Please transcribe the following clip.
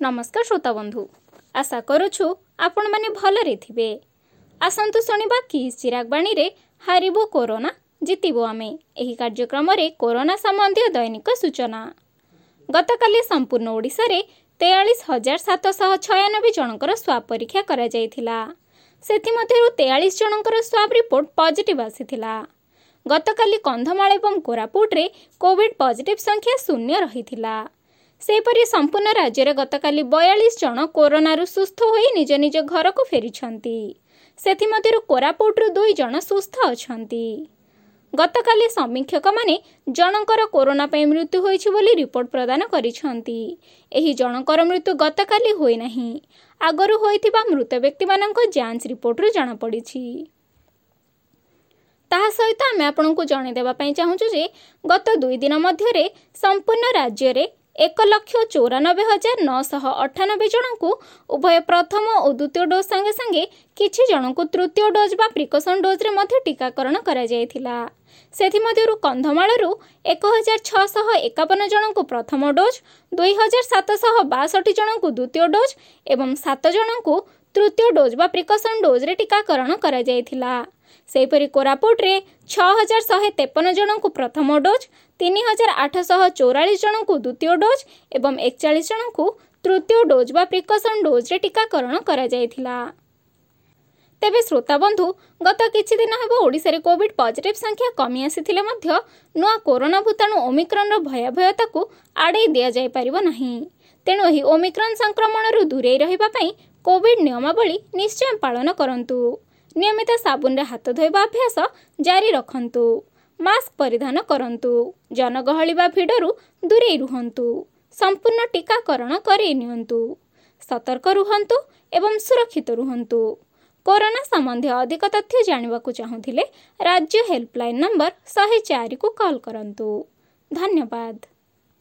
ନମସ୍କାର ଶ୍ରୋତାବନ୍ଧୁ, ଆଶା କରୁଛୁ ଆପଣମାନେ ଭଲରେ ଥିବେ। ଆସନ୍ତୁ ଶୁଣିବା କିସ୍ ଚିରାଗବାଣୀରେ ହାରିବୁ କୋରୋନା ଜିତିବୁ ଆମେ ଏହି କାର୍ଯ୍ୟକ୍ରମରେ କୋରୋନା ସମ୍ବନ୍ଧୀୟ ଦୈନିକ ସୂଚନା। ଗତକାଲି ସମ୍ପୂର୍ଣ୍ଣ ଓଡ଼ିଶାରେ 43,796 ଜଣଙ୍କର ସ୍ୱାବ୍ ପରୀକ୍ଷା କରାଯାଇଥିଲା। ସେଥିମଧ୍ୟରୁ 43 ଜଣଙ୍କର ସ୍ୱାବ୍ ରିପୋର୍ଟ ପଜିଟିଭ୍ ଆସିଥିଲା। ଗତକାଲି କନ୍ଧମାଳ ଏବଂ କୋରାପୁଟରେ କୋଭିଡ୍ ପଜିଟିଭ୍ ସଂଖ୍ୟା 0 ରହିଥିଲା। ସେହିପରି ସମ୍ପୂର୍ଣ୍ଣ ରାଜ୍ୟରେ ଗତକାଲି 42 ଜଣ କୋରୋନାରୁ ସୁସ୍ଥ ହୋଇ ନିଜ ନିଜ ଘରକୁ ଫେରିଛନ୍ତି। ସେଥିମଧ୍ୟରୁ କୋରାପୁଟରୁ 2 ଜଣ ସୁସ୍ଥ ଅଛନ୍ତି। ଗତକାଲି ସମୀକ୍ଷକମାନେ ଜଣଙ୍କର କୋରୋନା ପାଇଁ ମୃତ୍ୟୁ ହୋଇଛି ବୋଲି ରିପୋର୍ଟ ପ୍ରଦାନ କରିଛନ୍ତି। ଏହି ଜଣଙ୍କର ମୃତ୍ୟୁ ଗତକାଲି ହୋଇନାହିଁ, ଆଗରୁ ହୋଇଥିବା ମୃତ ବ୍ୟକ୍ତିମାନଙ୍କ ଯାଞ୍ଚ ରିପୋର୍ଟରୁ ଜଣାପଡ଼ିଛି। ତାହା ସହିତ ଆମେ ଆପଣଙ୍କୁ ଜଣାଇଦେବା ପାଇଁ ଚାହୁଁଛୁ ଯେ ଗତ 2 ଦିନ ମଧ୍ୟରେ ସମ୍ପୂର୍ଣ୍ଣ ରାଜ୍ୟରେ 1,94,998 ଜଣଙ୍କୁ ଉଭୟ ପ୍ରଥମ ଓ ଦ୍ୱିତୀୟ ଡୋଜ୍ ସାଙ୍ଗେ ସାଙ୍ଗେ କିଛି ଜଣଙ୍କୁ ତୃତୀୟ ଡୋଜ୍ ବା ପ୍ରିକସନ୍ ଡୋଜ୍ରେ ମଧ୍ୟ ଟିକାକରଣ କରାଯାଇଥିଲା। ସେଥିମଧ୍ୟରୁ କନ୍ଧମାଳରୁ 1,651 ଜଣଙ୍କୁ ପ୍ରଥମ ଡୋଜ୍, 2,762 ଜଣଙ୍କୁ ଦ୍ୱିତୀୟ ଡୋଜ୍ ଏବଂ 7 ଜଣଙ୍କୁ ତୃତୀୟ ଡୋଜ୍ ବା ପ୍ରିକସନ୍ ଡୋଜ୍ରେ ଟିକାକରଣ କରାଯାଇଥିଲା। ସେହିପରି କୋରାପୁଟରେ 6,153 ଜଣଙ୍କୁ ପ୍ରଥମ ଡୋଜ୍, 3,844 ଜଣଙ୍କୁ ଦ୍ୱିତୀୟ ଡୋଜ୍ ଏବଂ 41 ଜଣଙ୍କୁ ତୃତୀୟ ଡୋଜ୍ ବା ପ୍ରିକସନ୍ ଡୋଜ୍ରେ ଟିକାକରଣ କରାଯାଇଥିଲା। ତେବେ ଶ୍ରୋତାବନ୍ଧୁ, ଗତ କିଛି ଦିନ ହେବ ଓଡ଼ିଶାରେ କୋଭିଡ୍ ପଜିଟିଭ୍ ସଂଖ୍ୟା କମି ଆସିଥିଲେ ମଧ୍ୟ ନୂଆ କୋରୋନା ଭୂତାଣୁ ଓମିକ୍ରନ୍ର ଭୟାବହତାକୁ ଆଡ଼େଇ ଦିଆଯାଇପାରିବ ନାହିଁ। ତେଣୁ ଏହି ଓମିକ୍ରନ୍ ସଂକ୍ରମଣରୁ ଦୂରେଇ ରହିବା ପାଇଁ କୋଭିଡ୍ ନିୟମାବଳୀ ନିଶ୍ଚୟ ପାଳନ କରନ୍ତୁ। ନିୟମିତ ସାବୁନରେ ହାତ ଧୋଇବା ଅଭ୍ୟାସ ଜାରି ରଖନ୍ତୁ। ମାସ୍କ ପରିଧାନ କରନ୍ତୁ। ଜନଗହଳି ବା ଭିଡ଼ରୁ ଦୂରେଇ ରୁହନ୍ତୁ। ସମ୍ପୂର୍ଣ୍ଣ ଟିକାକରଣ କରେଇ ନିଅନ୍ତୁ। ସତର୍କ ରୁହନ୍ତୁ ଏବଂ ସୁରକ୍ଷିତ ରୁହନ୍ତୁ। କୋରୋନା ସମ୍ବନ୍ଧୀୟ ଅଧିକ ତଥ୍ୟ ଜାଣିବାକୁ ଚାହୁଁଥିଲେ ରାଜ୍ୟ ହେଲ୍ପଲାଇନ୍ ନମ୍ବର 104କୁ କଲ୍ କରନ୍ତୁ। ଧନ୍ୟବାଦ।